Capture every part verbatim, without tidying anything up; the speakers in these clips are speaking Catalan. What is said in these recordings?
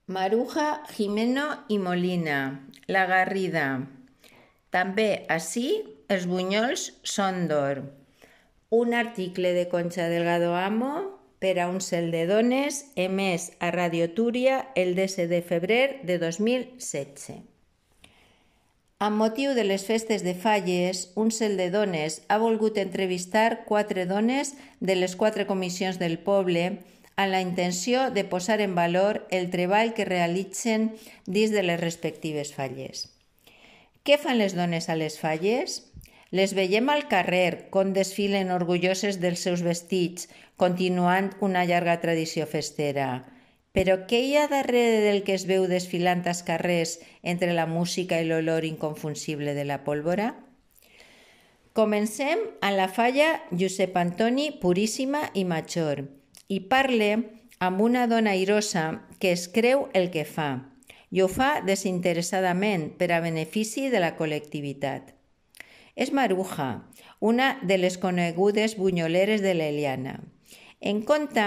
Maruja, Jimeno i Molina, La Garrida. També ací els bunyols són d'or. Un article de Concha Delgado Amo per a un cel de dones emès a Radio Túria el disset de febrer de dos mil setze. Amb motiu de les festes de Falles, un cel de dones ha volgut entrevistar quatre dones de les quatre comissions del poble amb la intenció de posar en valor el treball que realitzen dins de les respectives falles. Què fan les dones a les falles? Les veiem al carrer com desfilen orgulloses dels seus vestits, continuant una llarga tradició festera. Però què hi ha darrere del que es veu desfilant als carrers entre la música i l'olor inconfusible de la pólvora? Comencem a la falla Josep Antoni Puríssima i Major i parle amb una dona airosa que es creu el que fa i ho fa desinteressadament per a benefici de la col·lectivitat. És Maruja, una de les conegudes bunyoleres de l'Eliana. En compte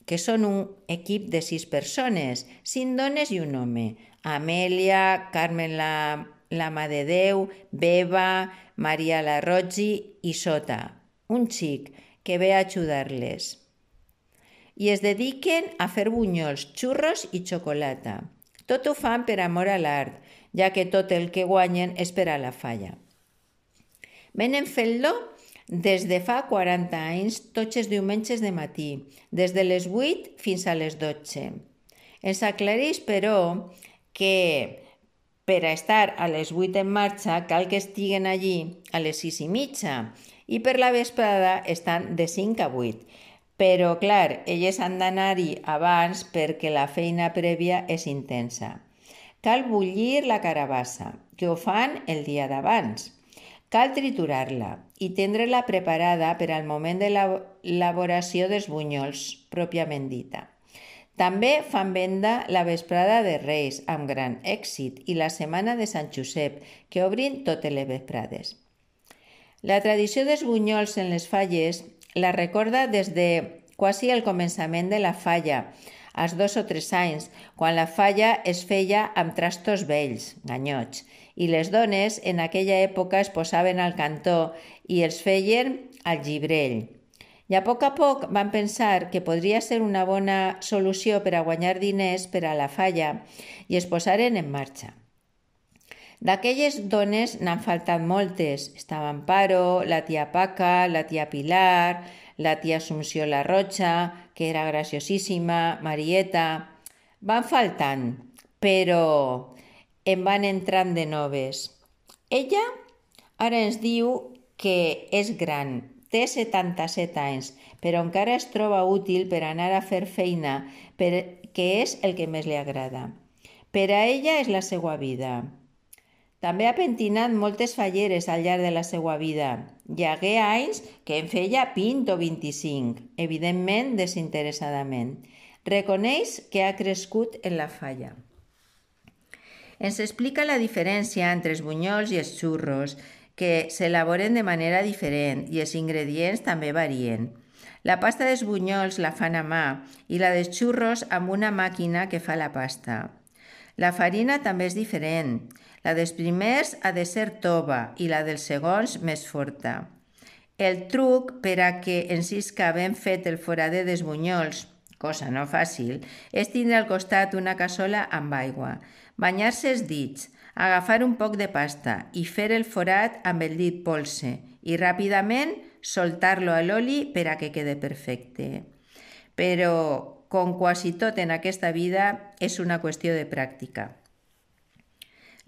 que són un equip de sis persones, cinc dones i un home. Amèlia, Carmen la, la Mà de Déu, Beba, Maria la Roggi i Sota, un xic que ve a ajudar-les. I es dediquen a fer bunyols, xurros i xocolata. Tot ho fan per amor a l'art, ja que tot el que guanyen és per a la falla. Venen fent-lo des de fa quaranta anys, tots els diumenges de matí, des de les vuit fins a les dotze. Ens aclareix, però, que per a estar a les vuit en marxa cal que estiguen allí a les sis i mitja i per la vesprada estan de cinc a vuit. Però, clar, elles han d'anar-hi abans perquè la feina prèvia és intensa. Cal bullir la carabassa, que ho fan el dia d'abans. Cal triturar-la i tindre-la preparada per al moment de l'elaboració dels bunyols, pròpiament dita. També fan venda la vesprada de Reis, amb gran èxit, i la setmana de Sant Josep, que obrin totes les vesprades. La tradició dels bunyols en les falles la recorda des de quasi el començament de la falla, als dos o tres anys, quan la falla es feia amb trastos vells, ganyots, i les dones en aquella època es posaven al cantó i els feien al llibrell. I a poc a poc van pensar que podria ser una bona solució per a guanyar diners per a la falla i es posaren en marxa. D'aquelles dones n'han faltat moltes. Estava Amparo, la tia Paca, la tia Pilar, la tia Assumpció la Roja, que era graciosíssima, Marieta. Van faltant, però en van entrant de noves. Ella ara ens diu que és gran, té setanta-set anys, però encara es troba útil per anar a fer feina, perquè és el que més li agrada. Per a ella és la seva vida. També ha pentinat moltes falleres al llarg de la seva vida. Hi hagué anys que en feia vint o vint-i-cinc, evidentment desinteressadament. Reconeix que ha crescut en la falla. Ens explica la diferència entre els bunyols i els xurros, que s'elaboren de manera diferent i els ingredients també varien. La pasta dels bunyols la fan a mà i la dels xurros amb una màquina que fa la pasta. La farina també és diferent. La dels primers ha de ser tova i la dels segons més forta. El truc per a que ens isca ben fet el forader dels bunyols, cosa no fàcil, és tindre al costat una cassola amb aigua, banyar-se els dits, agafar un poc de pasta i fer el forat amb el dit polse i ràpidament soltar-lo a l'oli per a que quede perfecte. Però, com quasi tot en aquesta vida, és una qüestió de pràctica.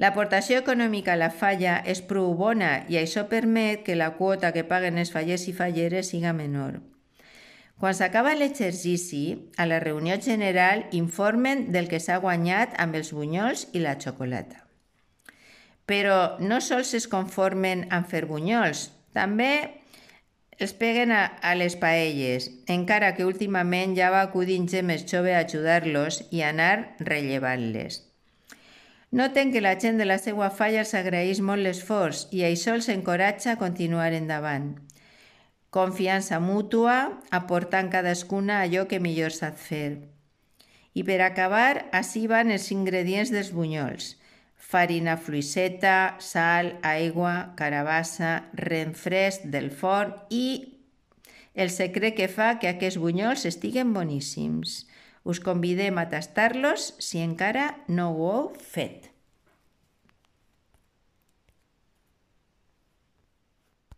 L'aportació econòmica a la falla és prou bona i això permet que la quota que paguen els fallers i falleres siga menor. Quan s'acaba l'exercici, a la reunió general informen del que s'ha guanyat amb els bunyols i la xocolata. Però no sols es conformen amb fer bunyols, també els peguen a, a les paelles, encara que últimament ja va acudint gent més jove a ajudar-los i anar rellevant-les. Noten que la gent de la seva falla els agraeix molt l'esforç i això els encoratja a continuar endavant. Confiança mútua, aportant cadascuna allò que millor sap fer. I per acabar, ací van els ingredients dels bunyols. Farina fluixeta, sal, aigua, carabassa, ren fresc del forn i el secret que fa que aquests bunyols estiguen boníssims. Us convidem a tastar-los si encara no ho heu fet.